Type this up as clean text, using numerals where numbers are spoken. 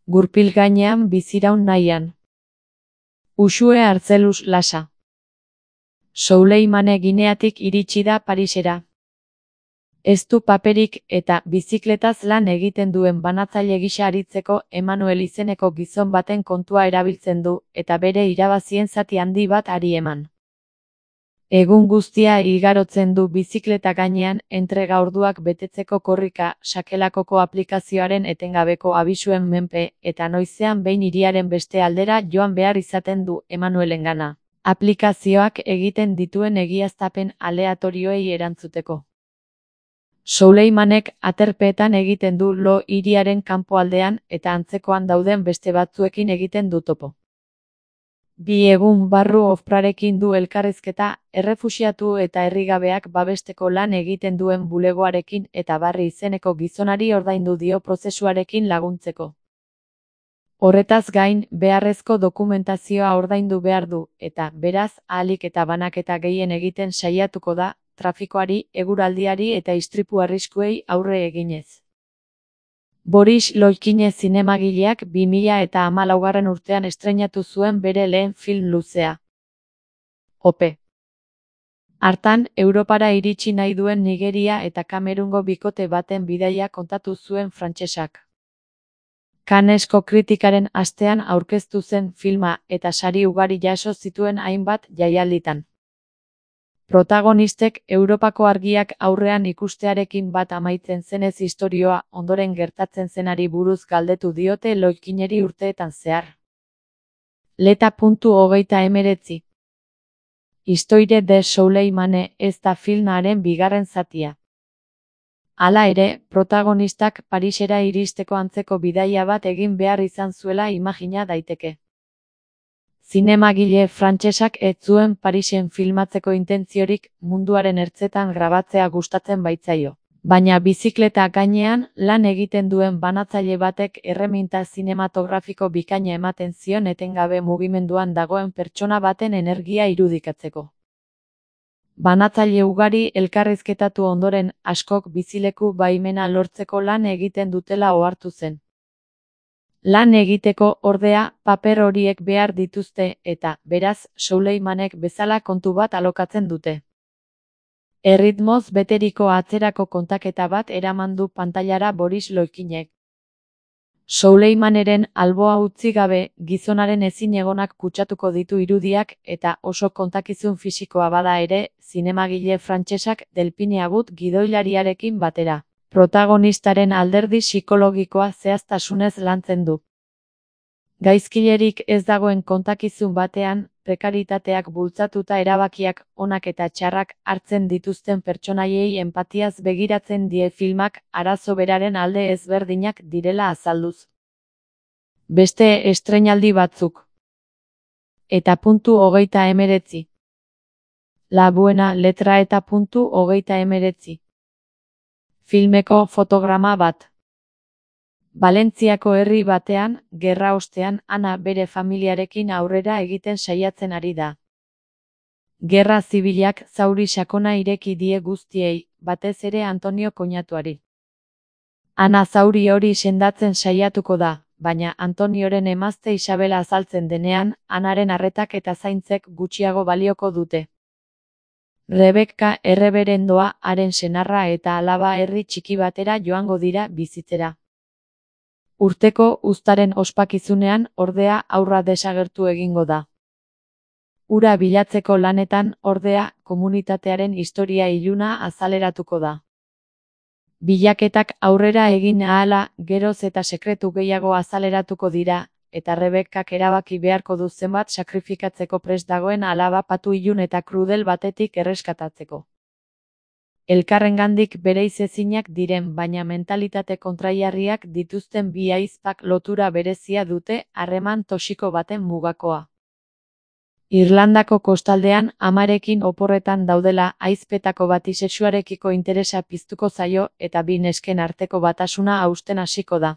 Gurpil gainean biziraun nahian. Uxue Artzelus Lasa. Souleyman Gineatik iritsi da Parisera. Ez du paperik eta bizikletaz lan egiten duen banatzaile gisa aritzeko Emmanuel izeneko gizon baten kontua erabiltzen du eta bere irabazien zati handi bat ari eman. Egun guztia igarotzen du bizikleta gainean entrega orduak betetzeko korrika sakelakoko aplikazioaren etengabeko abisuen menpe eta noizean behin hiriaren beste aldera joan behar izaten du Emmanuelengana. Aplikazioak egiten dituen egiaztapen aleatorioei erantzuteko. Souleymanek aterpeetan egiten du lo hiriaren kanpoaldean eta antzekoan dauden beste batzuekin egiten du topo. 2 egun barru ofprarekin du elkarrizketa, errefuxiatu eta herrigabeak babesteko lan egiten duen bulegoarekin eta Barri izeneko gizonari ordaindu dio prozesuarekin laguntzeko. Horretaz gain, beharrezko dokumentazioa ordaindu behar du, eta, beraz, ahalik eta banaketa gehien egiten saiatuko da, trafikoari, eguraldiari eta istripu arriskuei aurre eginez. Boris Loikine zinemagileak 2014 urtean estreinatu zuen bere lehen film luzea. Ope. Hartan, Europara iritsi nahi duen Nigeria eta Kamerungo bikote baten bidaia kontatu zuen frantsesak. Cannesko kritikaren astean aurkeztu zen filma eta sari ugari jaso zituen hainbat jaialditan. Protagonistek Europako argiak aurrean ikustearekin bat amaitzen zenez istorioa ondoren gertatzen zenari buruz galdetu diote Loikineri urteetan zehar. Leta.19 Histoire de Souleymane ez da filmaren bigarren zatia. Hala ere, protagonistak Parisera iristeko antzeko bidaia bat egin behar izan zuela imagina daiteke. Zinemagile frantsesak ez zuen Parisen filmatzeko intentziorik munduaren ertzetan grabatzea gustatzen baitzaio. Baina bizikleta gainean lan egiten duen banatzaile batek erreminta zinematografiko bikaina ematen zion etengabe mugimenduan dagoen pertsona baten energia irudikatzeko. Banatzaile ugari elkarrizketatu ondoren askok bizileku baimena lortzeko lan egiten dutela ohartu zen. Lan egiteko, ordea, paper horiek behar dituzte eta, beraz, Souleymanek bezala kontu bat alokatzen dute. Erritmoz beteriko atzerako kontaketa bat eraman du pantailara Boris Loikinek. Souleymaneren alboa utzi gabe, gizonaren ezinegonak kutsatuko ditu irudiak eta oso kontakizun fisikoa bada ere, zinemagile frantsesak Delphine Agut gidoilariarekin batera. Protagonistaren alderdi psikologikoa zehaztasunez lantzen du. Gaizkilerik ez dagoen kontakizun batean, prekaritateak bultzatuta erabakiak onak eta txarrak hartzen dituzten pertsonaiei enpatiaz begiratzen die filmak arazo beraren alde ezberdinak direla azalduz. Beste estreinaldi batzuk. Eta .19 La buena letra eta .19 Filmeko fotograma bat. Valentziako herri batean, gerra ostean, Ana bere familiarekin aurrera egiten saiatzen ari da. Gerra zibilak zauri sakona ireki die guztiei, batez ere Antonio koinatuari. Ana zauri hori sendatzen saiatuko da, baina Antonioren emazte Isabela azaltzen denean, Anaren arretak eta zaintzek gutxiago balioko dute. Rebeka erreberendoa haren senarra eta alaba herri txiki batera joango dira bizitzera. Urteko uztaren ospakizunean ordea haurra desagertu egingo da. Hura bilatzeko lanetan ordea komunitatearen historia iluna azaleratuko da. Bilaketak aurrera egin ahala geroz eta sekretu gehiago azaleratuko dira, eta Rebekak erabaki beharko du zenbat sakrifikatzeko prest dagoen alaba patu ilun eta krudel batetik erreskatatzeko. Elkarrengandik bereizezinak diren baina mentalitate kontrajarriak dituzten bi ahizpak lotura berezia dute harreman toxiko baten mugakoa. Irlandako kostaldean amarekin oporretan daudela ahizpetako bati sexuarekiko interesa piztuko zaio eta bi nesken arteko batasuna hausten hasiko da.